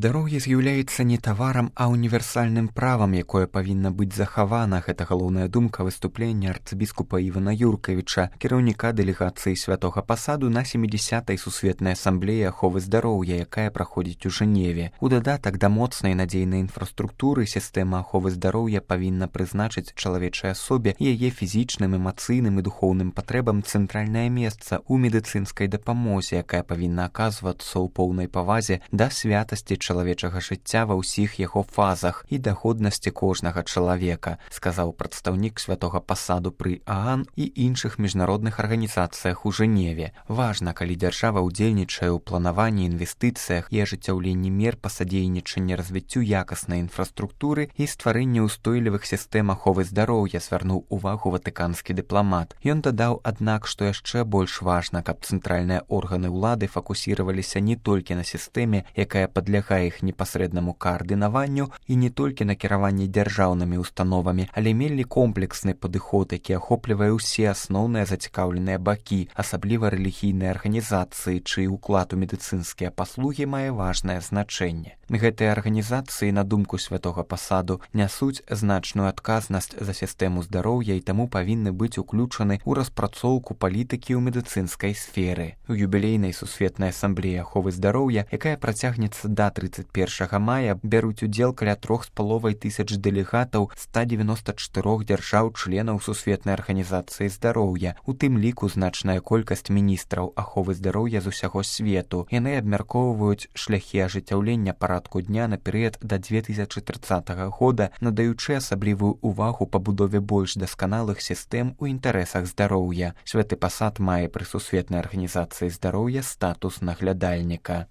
Здароўе з'яўляецца не таварам, а універсальным правам, якое павінна быць захавана. Гэта галоўная думка выступлення арцыбіскупа Івана Юркавіча, кіраўніка дэлегацыі святога пасаду на 70-й сусветнай асамблеі аховы здароўя, якая праходзіць у Жэневе. У дадатак да моцнай надзейнай інфраструктуры сістэма аховы здароўя павінна прызначыць чалавечай асобе яе фізічным, эмацыйным і духоўным патрэбам цэнтральнае месца ў медыцынскай дапамозе, якая павінна аказвацца ў поўнай павазе да святасці чалавечага жыцця ва ўсіх яго фазах і да годнасці кожнага чалавека, сказаў прадстаўнік святога пасаду пры ААН і іншых міжнародных арганізацыях у Жэневе. Важна, калі дзяржава ўдзельнічае ў планаванні, інвестыцыях і ажыццяўленні мер па садзейнічанні развіццю якаснай інфраструктуры і стварэнні ўстойлівых сістэм аховы здароўя, звярнуў увагу ватыканскі дыпламат. Ён дадаў, аднак, што яшчэ больш важна, каб цэнтральныя органы ўлады фокусіраваліся не толькі на сістэме, якая падлягае іх непасрэднаму каардынаванню і не толькі на кіраванні дзяржаўнымі установамі, але мелі комплексны падыход, які ахоплівае ўсе асноўныя зацікаўленыя бакі, асабліва рэлігійныя арганізацыі, чый уклад у медыцынскія паслугі мае важнае значэнне. Гэтыя арганізацыі, на думку святога пасаду, нясуць значную адказнасць за сістэму здароўя і таму павінны быць уключаны ў распрацоўку палітыкі ў медыцынскай сферы. У юбілейнай сусветнай асамблеі аховы здароўя, якая працягнецца да 31 мая, бяруць удзел каля 3,5 тысяч дэлегатаў 194 дзяржаў-членаў сусветнай арганізацыі здароўя, у тым ліку значная колькасць міністраў аховы здароўя з усяго свету. Яны абмяркоўваюць шляхі ажыццяўлення парадку дня на перыяд да 2030 года, надаючы асаблівую увагу пабудове больш дасканалых сістэм у інтарэсах здароўя. Святы пасад мае пры сусветнай арганізацыі здароўя статус наглядальніка.